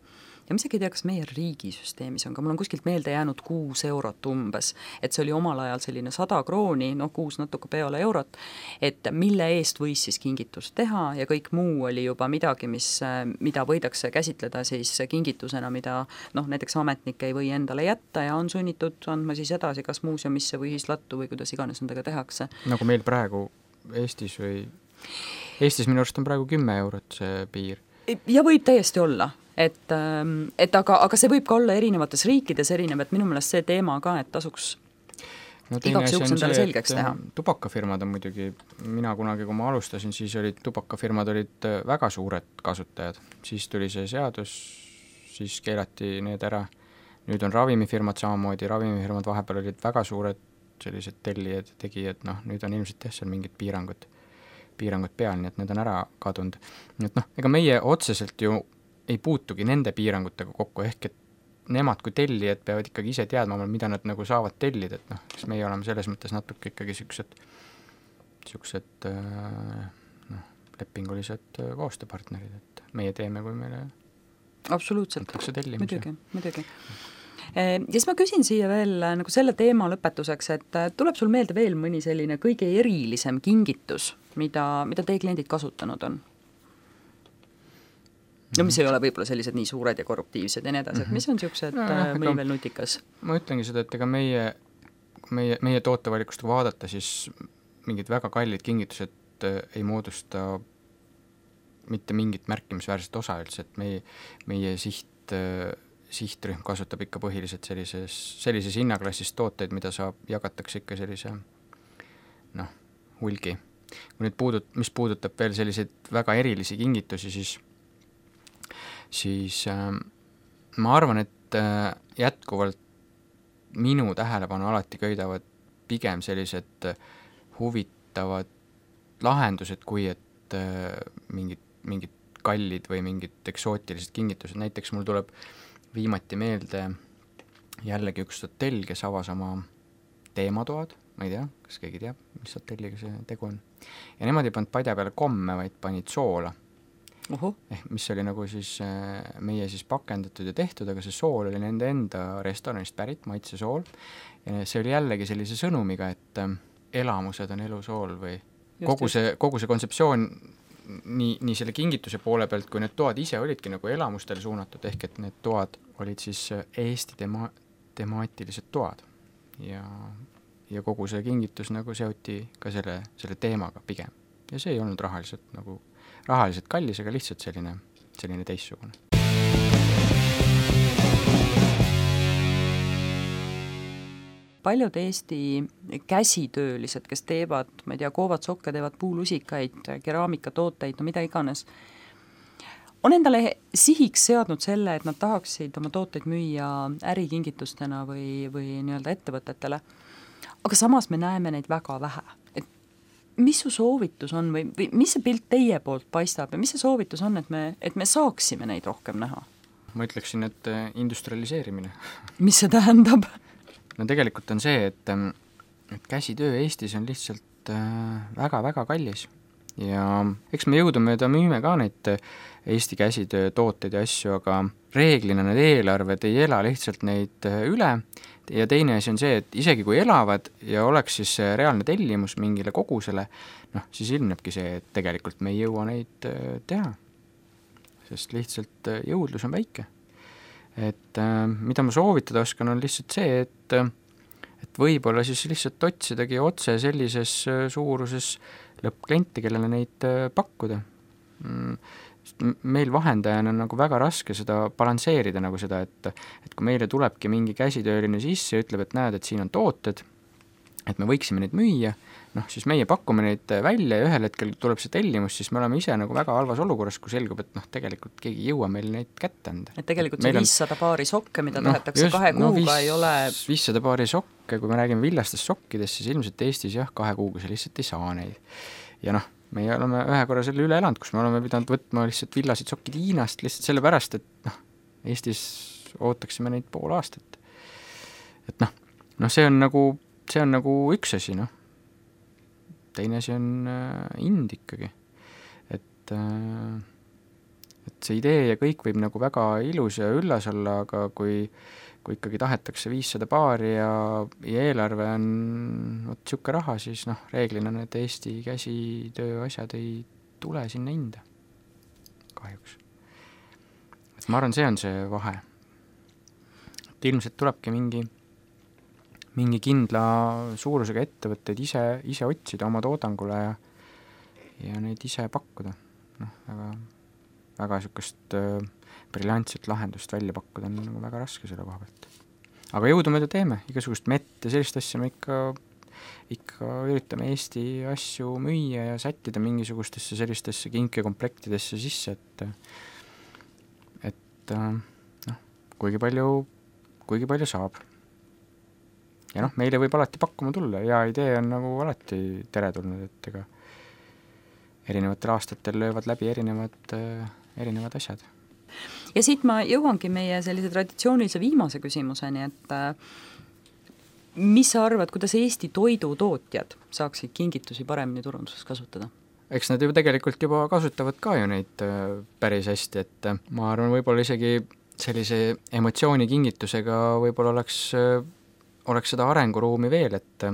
ja ma isegi ei tea, kas meie riigisüsteemis on, aga mul on kuskilt meelde jäänud kuus eurot umbes, et see oli omal ajal selline sada krooni, noh kuus natuke peale eurot, et mille eest võis siis kingitust teha ja kõik muu oli juba midagi, mis, mida võidakse käsitleda siis kingitusena, mida noh, näiteks ametnik ei või endale jätta ja on sunnitud andma siis edasi kas muuseumisse või ühislattu või kuidas iganes nendega tehakse. Nagu meil praegu Eestis või Eestis minu arust on praegu kümme eurot see piir. Ja võib täiesti olla, et, et aga, aga see võib ka olla erinevates riikides erinev, et minu meelest see teema ka, et tasuks no, igaks juhuks endale selgeks teha. Tubakafirmad on muidugi, mina kunagi, kui ma alustasin, siis olid tubakafirmad olid väga suured kasutajad, siis tuli see seadus, siis keelati need ära. Nüüd on ravimifirmad samamoodi, ravimifirmad vahepeal olid väga suured sellised tellijad ja tegijad, noh, nüüd on ilmselt jah, seal mingid piirangud. piirangud peal, nii et need on ära kadunud. Nii et noh, ega meie otseselt ju ei puutugi nende piirangutega kokku, ehk et nemad kui tellijad peavad ikkagi ise teadma, mida nad nagu saavad tellida, et noh, kes meie oleme selles mõttes natuke ikkagi siuksed niisugused noh, lepingulised koostööpartnerid, et meie teeme, kui meile absoluutselt, antakse tellimusi. muidugi, muidugi. Ja siis ma küsin siia veel nagu selle teema lõpetuseks, et tuleb sul meelde veel mõni selline kõige erilisem kingitus, mida, mida teie kliendid kasutanud on? No mis ei ole võib-olla sellised nii suured ja korruptiivsed ja nii edasi, et mis on niisugused no, no, mõni veel nutikas? Ma ütlengi seda, et ega meie, meie, meie tootevalikust kui vaadata, siis mingid väga kallid kingitused ei moodusta mitte mingit märkimisväärset osa üldse, et meie, meie siht, sihtrühm kasutab ikka põhiliselt sellises, sellises hinnaklassis tooteid, mida saab, jagatakse ikka sellise noh, hulgi. Kui nüüd puudut, mis puudutab veel selliseid väga erilisi kingitusi, siis siis äh, ma arvan, et äh, jätkuvalt minu tähelepanu alati köidavad pigem sellised huvitavad lahendused, kui et äh, mingid, mingid kallid või mingid eksootilised kingitused. Näiteks mul tuleb viimati meelde jällegi üks hotell, kes avas oma teematoad, ma ei tea, kas keegi teab, mis hotelliga see tegu on. Ja nemad ei pannud padja peale komme, vaid panid soola. Uhu. Eh, mis oli nagu siis meie siis pakendatud ja tehtud, aga see sool oli nende enda restoranist pärit, maitse sool. Ja see oli jällegi sellise sõnumiga, et elamused on elusool või just, kogu see, kogu see kontseptsioon nii, nii selle kingituse poole pealt, kui need toad ise olidki nagu elamustele suunatud, ehk et need toad olid siis Eesti tema, temaatilised toad. Ja, ja kogu see kingitus nagu seoti ka selle, selle teemaga pigem. Ja see ei olnud rahaliselt nagu rahaliselt kallis, aga lihtsalt selline, selline teissugune. Paljud Eesti käsitöölised, kes teevad, ma ei tea, koovad sokke, teevad puulusikaid, keraamikatooteid, no mida iganes, on endale sihiks seadnud selle, et nad tahaksid oma tooteid müüa ärikingitustena või, või nii-öelda ettevõtetele. Aga samas me näeme neid väga vähe. Mis su soovitus on või, või mis see pilt teie poolt paistab ja mis see soovitus on, et me, et me saaksime neid rohkem näha? Ma ütleksin, et industrialiseerimine. Mis see tähendab? No tegelikult on see, et, et käsitöö Eestis on lihtsalt väga-väga kallis ja eks me jõudumööda müüme ka neid Eesti käsitöö tooteid ja asju, aga reeglina need eelarved ei ela lihtsalt neid üle. Ja teine asi on see, et isegi kui elavad ja oleks siis reaalne tellimus mingile kogusele, noh, siis ilmnebki see, et tegelikult me ei jõua neid teha, sest lihtsalt jõudlus on väike. Et mida ma soovitada oskan, on lihtsalt see, et, et võib-olla siis lihtsalt otsidagi otse sellises suuruses lõppklienti, kellele neid pakkuda. Meil vahendajana on nagu väga raske seda balansseerida nagu seda, et, et kui meile tulebki mingi käsitööline sisse ja ütleb, et näed, et siin on tooted, et me võiksime neid müüa, noh, siis meie pakume neid välja ja ühel hetkel tuleb see tellimus, siis me oleme ise nagu väga halvas olukorras, kui selgub, et noh, tegelikult keegi ei jõua meil neid kätte anda. Et tegelikult see viissada paari sokke, mida no, tahetakse just, kahe kuuga no, viis, ei ole... viissada paari sokke, kui me räägime villastest sokkidest, siis ilmselt Eestis jah, kahe kuuga see lihtsalt ei saa neid. Ja noh, meie oleme ühe korra selle üle elanud, kus me oleme pidanud võtma lihtsalt villasid sokid Hiinast lihtsalt sellepärast, et noh, Eestis ootaksime neid pool aastat. Et noh, noh see on nagu, see on nagu üks asi, noh. Teine asi on äh, ind ikkagi. Et, äh, et see idee ja kõik võib nagu väga ilus ja üllas olla, aga kui kui ikkagi tahetakse viissada paari ja, ja eelarve on võt siuke raha, siis noh, reeglina need Eesti käsitöö asjad ei tule sinna hinda. Kahjuks. Et ma arvan, see on see vahe. Et ilmselt tulebki mingi, mingi kindla suurusega ettevõtteid ise, ise otsida oma toodangule ja, ja neid ise pakkuda. Noh, väga, väga siukest äh, briljantset lahendust välja pakkuda on nagu väga raske selle koha pealt. Aga jõudumööda teeme, igasugust mett ja sellist asja me ikka, ikka üritame Eesti asju müüa ja sättida mingisugustesse sellistesse kinkekomplektidesse sisse, et et noh, kuigi palju, kuigi palju saab. Ja noh, meile võib alati pakkuma tulla, hea idee on nagu alati teretulnud, et ega erinevatel aastatel löövad läbi erinevad, erinevad asjad. Ja siit ma jõuangi meie sellise traditsioonilise viimase küsimuseni, et mis sa arvad, kuidas Eesti toidutootjad saaksid kingitusi paremini turunduses kasutada? Eks nad ju tegelikult juba kasutavad ka ju neid päris hästi, et ma arvan, võib-olla isegi sellise emotsioonikingitusega võib-olla oleks, oleks seda arenguruumi veel, et,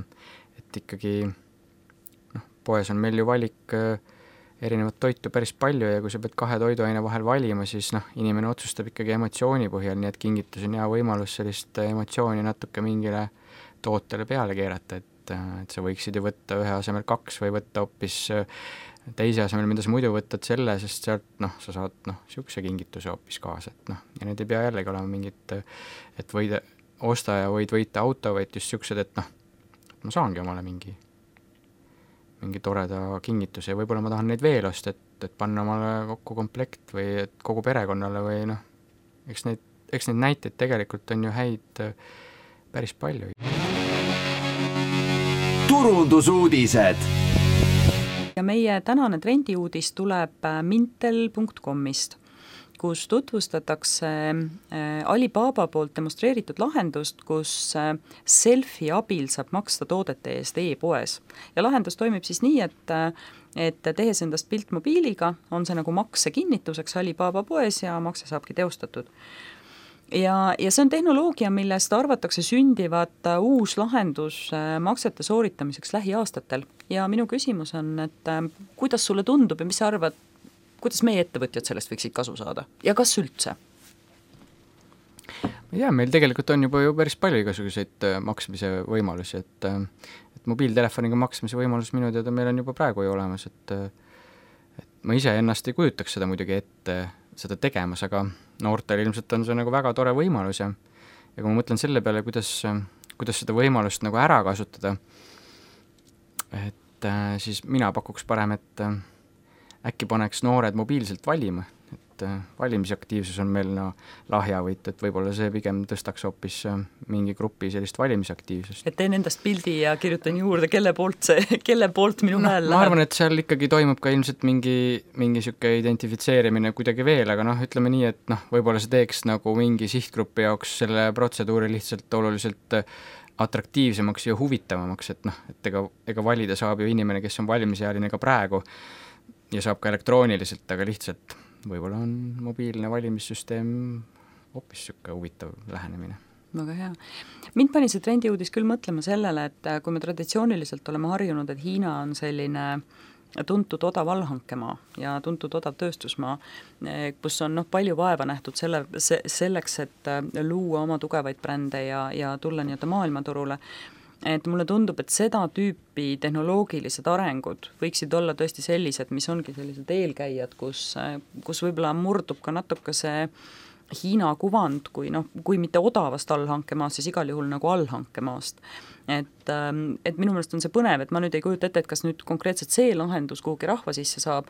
et ikkagi noh, poes on meil ju valik erinevat toitu päris palju ja kui sa pead kahe toiduaine vahel valima, siis noh, inimene otsustab ikkagi emotsiooni põhjal, nii et kingitus on hea võimalus sellist emotsiooni natuke mingile tootele peale keerata, et et sa võiksid ju võtta ühe asemel kaks või võtta hoopis teise asemel, mida sa muidu võtad selle, sest sealt noh, sa saad noh, niisuguse kingituse hoopis kaasa, et noh, ja need ei pea jällegi olema mingid, et võida, osta ja võid võita auto, vaid just niisugused, et noh, ma saangi omale mingi mingi toreda kingituse ja võib-olla ma tahan neid veel osta, et, et panna omale kokku komplekt või et kogu perekonnale või noh, eks neid, eks neid näiteid tegelikult on ju häid päris palju. Turundusuudised. Ja meie tänane trendiuudis tuleb mintel punkt comist, kus tutvustatakse Alibaba poolt demonstreeritud lahendust, kus selfie abil saab maksta toodete eest e-poes. Ja lahendus toimib siis nii, et, et tehes endast pilt mobiiliga, on see nagu makse kinnituseks Alibaba poes ja makse saabki teostatud. Ja, ja see on tehnoloogia, millest arvatakse sündivat uus lahendus maksete sooritamiseks lähiaastatel. Ja minu küsimus on, et kuidas sulle tundub ja mis sa arvad, kuidas meie ettevõtjad sellest võiksid kasu saada ja kas üldse? Ja meil tegelikult on juba ju päris palju igasuguseid maksmise võimalusi, et, et mobiiltelefoniga maksmise võimalus minu teada meil on juba praegu ju olemas, et, et ma ise ennast ei kujutaks seda muidugi ette seda tegemas, aga noortel ilmselt on see nagu väga tore võimalus ja, ja kui ma mõtlen selle peale, kuidas, kuidas seda võimalust nagu ära kasutada, et äh, siis mina pakuks parem, et äh, äkki paneks noored mobiilselt valima, et äh, valimisaktiivsus on meil no lahjavõit, et võib-olla see pigem tõstaks hoopis äh, mingi grupi sellist valimisaktiivsust. Et teen endast pildi ja kirjutan juurde, kelle poolt, see, kelle poolt minu no, hääl läheb. Ma arvan, et seal ikkagi toimub ka ilmselt mingi, mingi siuke identifitseerimine kuidagi veel, aga noh, ütleme nii, et noh, võib-olla see teeks nagu mingi sihtgrupi jaoks selle protseduuri lihtsalt oluliselt atraktiivsemaks ja huvitavamaks, et noh, et ega, ega valida saab ju inimene, kes on valimisealine ka praegu ja saab ka elektrooniliselt, aga lihtsalt võib-olla on mobiilne valimissüsteem hoopis siuke huvitav lähenemine. Väga hea. Mind pani see trendiuudis küll mõtlema sellele, et kui me traditsiooniliselt oleme harjunud, et Hiina on selline tuntud odav allhankemaa ja tuntud odav tööstusmaa, kus on noh, palju vaeva nähtud selle, se, selleks, et luua oma tugevaid brände ja, ja tulla nii-öelda maailmaturule, et mulle tundub, et seda tüüpi tehnoloogilised arengud võiksid olla tõesti sellised, mis ongi sellised eelkäijad, kus, kus võib-olla murdub ka natuke see Hiina kuvand, kui, noh, kui mitte odavast allhankemaast, siis igal juhul nagu allhankemaast. Et, et minu meelest on see põnev, et ma nüüd ei kujuta ette, et kas nüüd konkreetselt see lahendus kuhugi rahva sisse saab,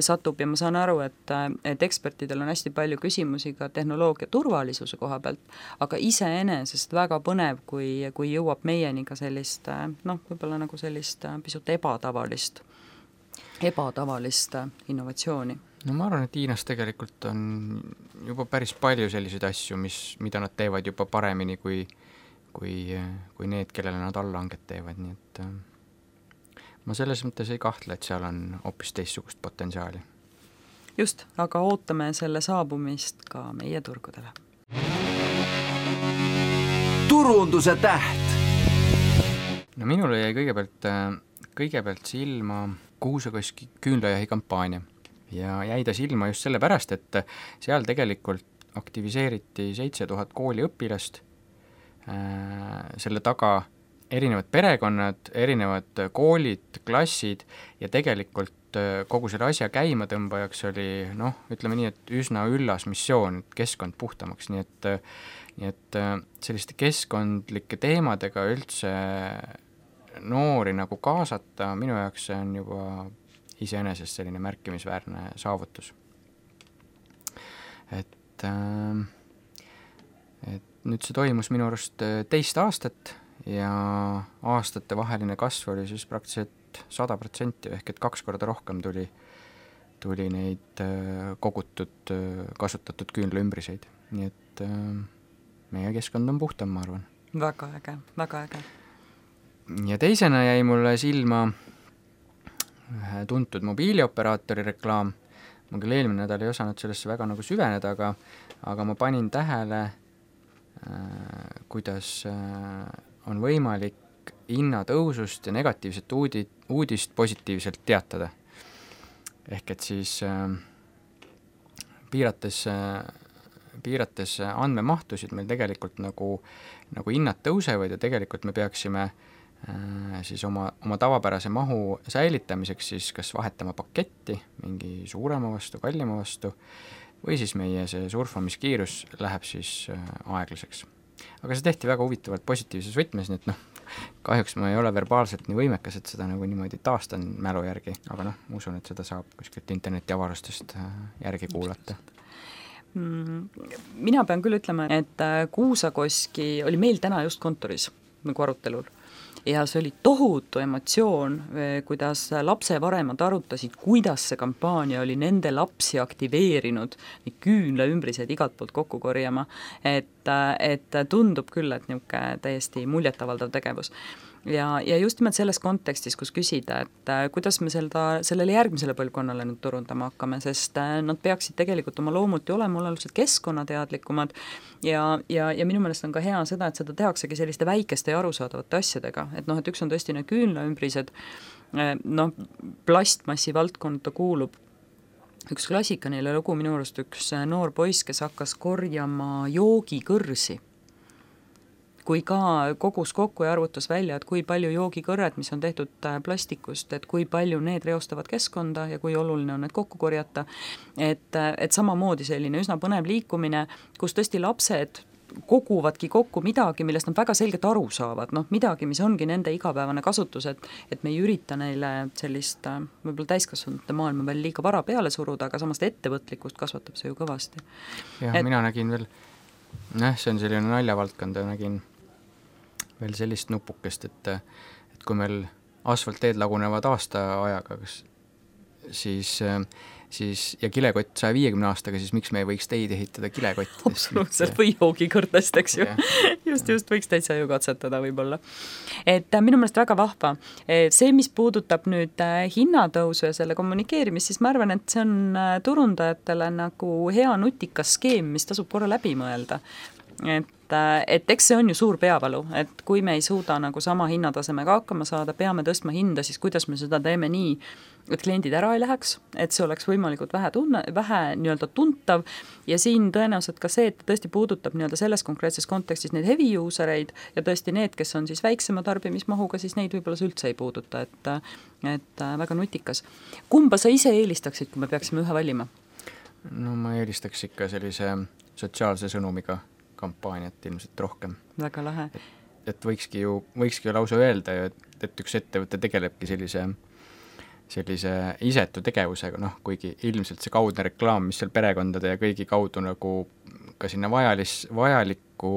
satub ja ma saan aru, et, et ekspertidel on hästi palju küsimusi ka tehnoloogia turvalisuse koha pealt, aga iseenesest väga põnev, kui, kui jõuab meieni ka sellist, noh, võib-olla nagu sellist pisut ebatavalist, ebatavalist innovatsiooni. No ma arvan, et Hiinas tegelikult on juba päris palju selliseid asju, mis, mida nad teevad juba paremini kui, kui, kui need, kellele nad allhanget teevad, nii et ma selles mõttes ei kahtle, et seal on hoopis teistsugust potentsiaali. Just, aga ootame selle saabumist ka meie turgudele. Turunduse täht. No minule jäi kõigepealt, kõigepealt silma kuusakoski küünlajahi kampaania. Ja jäi ta silma just sellepärast, et seal tegelikult aktiviseeriti seitse tuhat kooliõpilast, selle taga erinevad perekonnad, erinevad koolid, klassid ja tegelikult kogu selle asja käimatõmbajaks oli, noh, ütleme nii, et üsna üllas missioon, et keskkond puhtamaks, nii et, nii et selliste keskkondlike teemadega üldse noori nagu kaasata, minu jaoks see on juba iseenesest selline märkimisväärne saavutus. Et, et nüüd see toimus minu arust teist aastat ja aastate vaheline kasv oli siis praktiliselt sada protsenti ehk et kaks korda rohkem tuli, tuli neid kogutud, kasutatud küünlaümbriseid. Nii et meie keskkond on puhtam, ma arvan. väga äge, väga äge. Ja teisena jäi mulle silma ühe tuntud mobiilioperaatori reklaam. Ma küll eelmine nädal ei osanud sellesse väga nagu süveneda, aga, aga ma panin tähele, äh, kuidas äh, on võimalik hinnatõusust ja negatiivset uudi, uudist positiivselt teatada. Ehk et siis äh, piirates, äh, piirates andmemahtusid meil tegelikult nagu, nagu hinnad tõusevad ja tegelikult me peaksime siis oma, oma tavapärase mahu säilitamiseks siis kas vahetama paketti mingi suurema vastu, kallima vastu või siis meie see surfamiskiirus läheb siis aeglaseks. Aga see tehti väga huvitavalt positiivses võtmes, nii et noh, kahjuks ma ei ole verbaalselt nii võimekas, et seda nagu niimoodi taastan mälu järgi, aga noh, ma usun, et seda saab kuskilt interneti avarustest järgi kuulata. Mina pean küll ütlema, et Kuusakoski oli meil täna just kontoris nagu arutelul. Ja see oli tohutu emotsioon, kuidas lapsevanemad arutasid, kuidas see kampaania oli nende lapsi aktiveerinud, nii küünla ümbrised igalt poolt kokku korjama, et, et tundub küll, et niisugune täiesti muljetavaldav tegevus. Ja, ja just nimelt selles kontekstis, kus küsida, et kuidas me seda, sellele järgmisele põlvkonnale nüüd turundama hakkame, sest nad peaksid tegelikult oma loomult ju olema oluliselt keskkonnateadlikumad ja, ja, ja minu meelest on ka hea seda, et seda tehaksegi selliste väikeste ja arusaadavate asjadega, et noh, et üks on tõesti need küünlaümbrised, noh, plastmassi valdkonda kuulub üks klassikaline lugu, minu arust üks noor poiss, kes hakkas korjama joogikõrsi, kui ka kogus kokku ja arvutas välja, et kui palju joogikõrred, mis on tehtud plastikust, et kui palju need reostavad keskkonda ja kui oluline on need kokku korjata, et, et samamoodi selline üsna põnev liikumine, kus tõesti lapsed koguvadki kokku midagi, millest nad väga selgelt aru saavad, noh midagi, mis ongi nende igapäevane kasutus, et, et me ei ürita neile sellist võib-olla täiskasvanute maailma veel liiga vara peale suruda, aga samast ettevõtlikkust kasvatab see ju kõvasti. Jah, et... mina nägin veel, noh, see on selline naljavaldkond ja nägin veel sellist nupukest, et, et kui meil asfaltteed lagunevad aasta ajaga, kas, siis, siis ja kilekott saja viiekümne aastaga, siis miks me ei võiks teid ehitada kilekottidest? Absoluutselt, või joogikõrtest, eks ju. just, just võiks täitsa ju katsetada võib-olla. Et minu meelest väga vahva. See, mis puudutab nüüd hinnatõusu ja selle kommunikeerimist, siis ma arvan, et see on turundajatele nagu hea nutikas skeem, mis tasub korra läbi mõelda. Et et eks see on ju suur peavalu, et kui me ei suuda nagu sama hinnatasemega hakkama saada, peame tõstma hinda, siis kuidas me seda teeme nii, et kliendid ära ei läheks, et see oleks võimalikult vähe, tunne, vähe nii-öelda tuntav ja siin tõenäoliselt ka see, et tõesti puudutab nii-öelda selles konkreetses kontekstis neid heavy usereid ja tõesti need, kes on siis väiksema tarbimismahuga, siis neid võib-olla üldse ei puuduta, et, et väga nutikas. Kumba sa ise eelistaksid, kui me peaksime ühe valima? No ma eelistaks ikka sellise sotsiaalse sõnumiga kampaaniat ilmselt rohkem. Väga lahe. Et, et võikski ju, võikski ju lausa öelda ju, et, et üks ettevõte tegelebki sellise, sellise isetu tegevusega, noh, kuigi ilmselt see kaudne reklaam, mis seal perekondade ja kõigi kaudu nagu ka sinna vajalis, vajalikku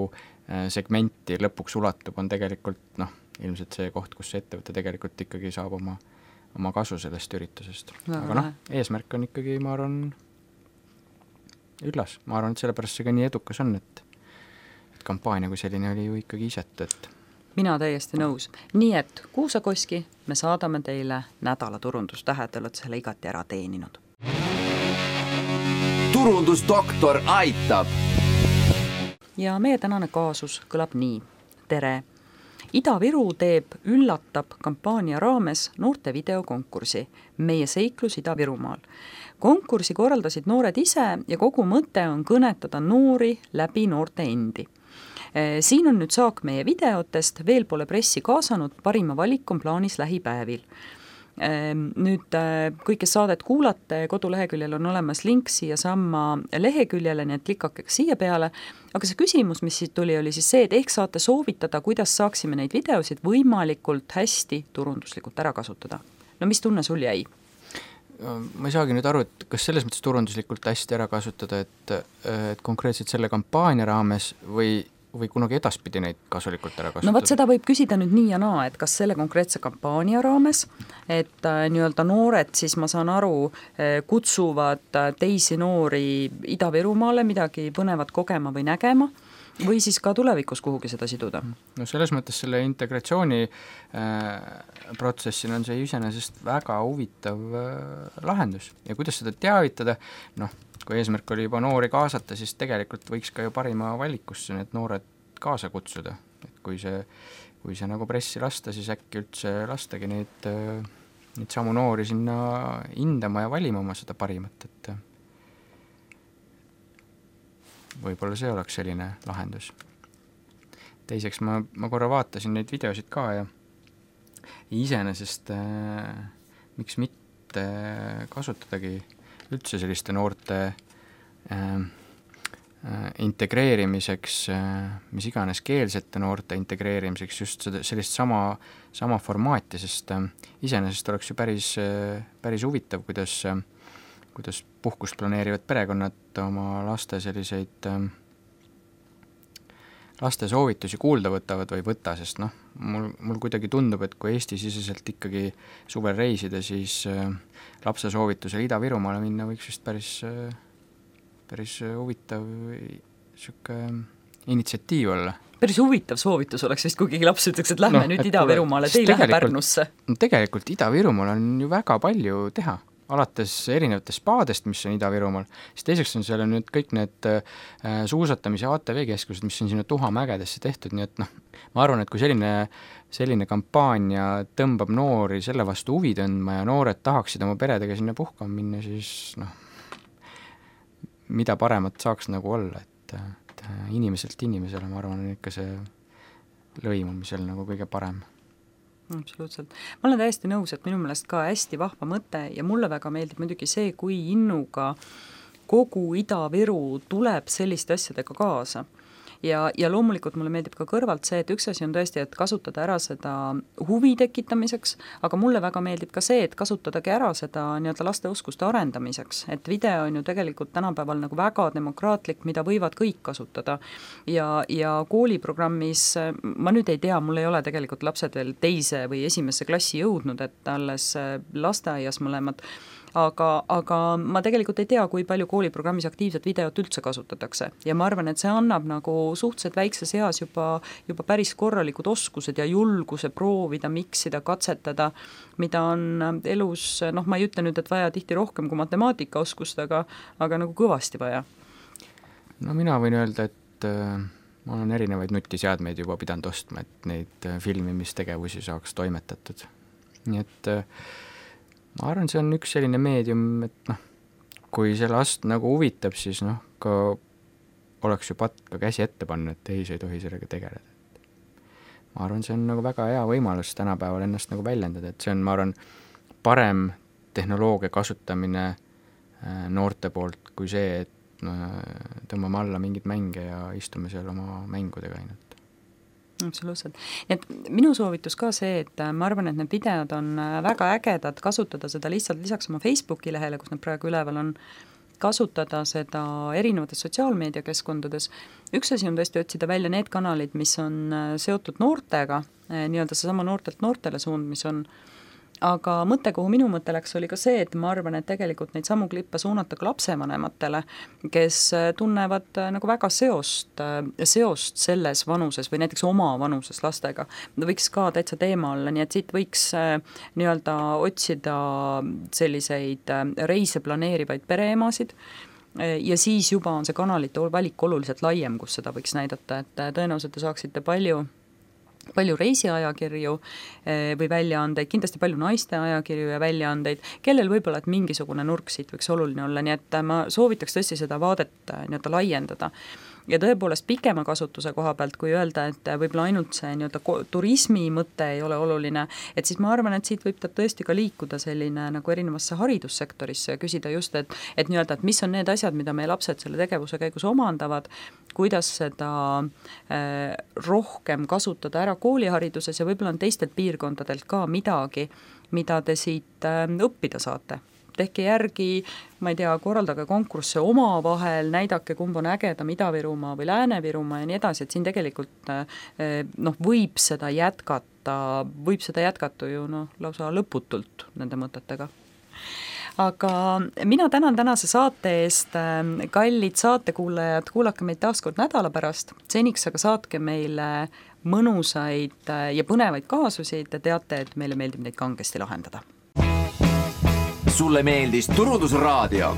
segmenti lõpuks ulatub, on tegelikult, noh, ilmselt see koht, kus see ettevõte tegelikult ikkagi saab oma, oma kasu sellest üritusest. Väga aga noh, eesmärk on ikkagi, ma arvan, üllas. Ma arvan, et sellepärast see ka nii edukas on, et kampaania kui selline oli ju ikkagi isetu, et mina täiesti nõus. Nii et Kuusakoski me saadame teile nädala turundustähed, te olete selle igati ära teeninud. turundusdoktor aitab! Ja meie tänane kaasus kõlab nii. Tere! Ida-Viru teeb üllatab kampaania raames noorte videokonkursi Meie seiklus Ida-Virumaal. Konkursi korraldasid noored ise ja kogu mõte on kõnetada noori läbi noorte endi. Siin on nüüd saak meie videotest, veel pole pressi kaasanud, parima valik on plaanis lähipäevil. Nüüd kõik, kes saadet kuulate, koduleheküljel on olemas link siia samma leheküljele, nii et klikake siia peale, aga see küsimus, mis siit tuli, oli siis see, et ehk saate soovitada, kuidas saaksime neid videosid võimalikult hästi turunduslikult ära kasutada. No mis tunne sul jäi? Ma ei saagi nüüd aru, et kas selles mõttes turunduslikult hästi ära kasutada, et, et konkreetselt selle kampaania raames või, või kunagi edaspidi neid kasulikult ära kasutada? No võt, seda võib küsida nüüd nii ja naa, et kas selle konkreetse kampaania raames, et äh, nii-öelda noored, siis ma saan aru, äh, kutsuvad teisi noori Ida-Virumaale midagi põnevat kogema või nägema, või siis ka tulevikus kuhugi seda siduda. No selles mõttes selle integratsiooni äh, protsessil on see iseenesest väga huvitav äh, lahendus ja kuidas seda teavitada, noh, kui eesmärk oli juba noori kaasata, siis tegelikult võiks ka ju parima valikusse need noored kaasa kutsuda, et kui see, kui see nagu pressi lasta, siis äkki üldse lastagi neid, neid samu noori sinna hindama ja valima oma seda parimat, et võib-olla see oleks selline lahendus. Teiseks ma, ma korra vaatasin neid videosid ka ja iseenesest äh, miks mitte kasutadagi üldse selliste noorte äh, äh, integreerimiseks, äh, mis iganes keelsete noorte integreerimiseks just seda, sellist sama, sama formaati, sest äh, iseenesest oleks ju päris, äh, päris huvitav, kuidas äh, kuidas puhkust planeerivad perekonnad oma laste selliseid äh, laste soovitusi kuulda võtavad või võtta, sest noh, mul, mul kuidagi tundub, et kui Eesti-siseselt ikkagi suvel reisida, siis äh, lapse soovitusel Ida-Virumaale minna võiks vist päris, äh, päris huvitav siuke initsiatiiv olla. Päris huvitav soovitus oleks vist, kui keegi laps ütleks, et lähme no, nüüd Ida-Virumaale, te ei lähe Pärnusse. Tegelikult Ida-Virumaal on ju väga palju teha. Alates erinevatest spaadest, mis on Ida-Virumaal, siis teiseks on seal nüüd kõik need äh, suusatamise A T V-keskused, mis on sinna Tuhamägedesse tehtud, nii et noh, ma arvan, et kui selline, selline kampaania tõmbab noori selle vastu huvi tõndma ja noored tahaksid oma peredega sinna puhkama minna, siis noh, mida paremat saaks nagu olla, et, et inimeselt inimesele, ma arvan, on ikka see lõimumisel nagu kõige parem. Absoluutselt. Ma olen täiesti nõus, et minu meelest ka hästi vahva mõte ja mulle väga meeldib muidugi see, kui innuga kogu Ida-Viru tuleb selliste asjadega kaasa. Ja, ja loomulikult mulle meeldib ka kõrvalt see, et üks asi on tõesti, et kasutada ära seda huvi tekitamiseks, aga mulle väga meeldib ka see, et kasutadagi ära seda nii-öelda laste oskuste arendamiseks, et video on ju tegelikult tänapäeval nagu väga demokraatlik, mida võivad kõik kasutada ja, ja kooliprogrammis, ma nüüd ei tea, mul ei ole tegelikult lapsed veel teise või esimesse klassi jõudnud, et alles lasteaias mõlemad, aga, aga ma tegelikult ei tea, kui palju kooliprogrammis aktiivset videot üldse kasutatakse ja ma arvan, et see annab nagu suhteliselt väikses eas juba, juba päris korralikud oskused ja julguse proovida, miksida, katsetada, mida on elus, noh, ma ei ütle nüüd, et vaja tihti rohkem kui matemaatikaoskust, aga, aga nagu kõvasti vaja. No mina võin öelda, et äh, ma olen erinevaid nutiseadmeid juba pidanud ostma, et neid äh, filmimistegevusi saaks toimetatud. Nii et äh, ma arvan, see on üks selline meedium, et noh, kui see last nagu huvitab, siis noh, ka oleks ju patt ka käsi ette panna, et ei, see ei tohi sellega tegeleda. Ma arvan, see on nagu väga hea võimalus tänapäeval ennast nagu väljendada, et see on, ma arvan, parem tehnoloogia kasutamine noorte poolt kui see, et no, tõmbame alla mingid mänge ja istume seal oma mängudega ainult. Absoluutselt. Et minu soovitus ka see, et ma arvan, et need videod on väga ägedad, kasutada seda lihtsalt lisaks oma Facebooki lehele, kus nad praegu üleval on, kasutada seda erinevates sotsiaalmeediakeskkondades. Üks asi on tõesti otsida välja need kanalid, mis on seotud noortega, nii-öelda see sama noortelt noortele suund, mis on, aga mõte, kuhu minu mõte läks, oli ka see, et ma arvan, et tegelikult neid samu klippe suunata ka lapsevanematele, kes tunnevad nagu väga seost, seost selles vanuses või näiteks oma vanuses lastega. Võiks ka täitsa teema olla, nii et siit võiks nii-öelda otsida selliseid reise planeerivaid pereemasid, ja siis juba on see kanalite valik oluliselt laiem, kus seda võiks näidata, et tõenäoliselt te saaksite palju palju reisiajakirju või väljaandeid, kindlasti palju naiste ajakirju ja väljaandeid, kellel võib-olla, et mingisugune nurk siit võiks oluline olla, nii et ma soovitaks tõesti seda vaadet nii-öelda laiendada. Ja tõepoolest pikema kasutuse koha pealt, kui öelda, et võib-olla ainult see nii-öelda turismi mõte ei ole oluline, et siis ma arvan, et siit võib ta tõesti ka liikuda selline nagu erinevasse haridussektorisse ja küsida just, et, et nii-öelda, et mis on need asjad, mida meie lapsed selle tegevuse käigus omandavad, kuidas seda äh, rohkem kasutada ära koolihariduses ja võib-olla on teistelt piirkondadelt ka midagi, mida te siit äh, õppida saate. Tehke järgi, ma ei tea, korraldage konkursse oma vahel, näidake, kumb on ägedam Ida-Virumaa või Lääne-Virumaa ja nii edasi, et siin tegelikult noh, võib seda jätkata, võib seda jätkata ju noh, lausa lõputult nende mõtetega. aga mina tänan tänase saate eest, kallid saatekuulajad, kuulake meid taas kord nädala pärast, seniks aga saatke meile mõnusaid ja põnevaid kaasusid ja teate, et meile meeldib neid kangesti lahendada. Sulle meeldis Turundusraadio?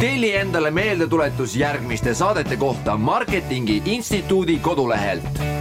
Telli endale meeldetuletus järgmiste saadete kohta Marketingi Instituudi kodulehelt.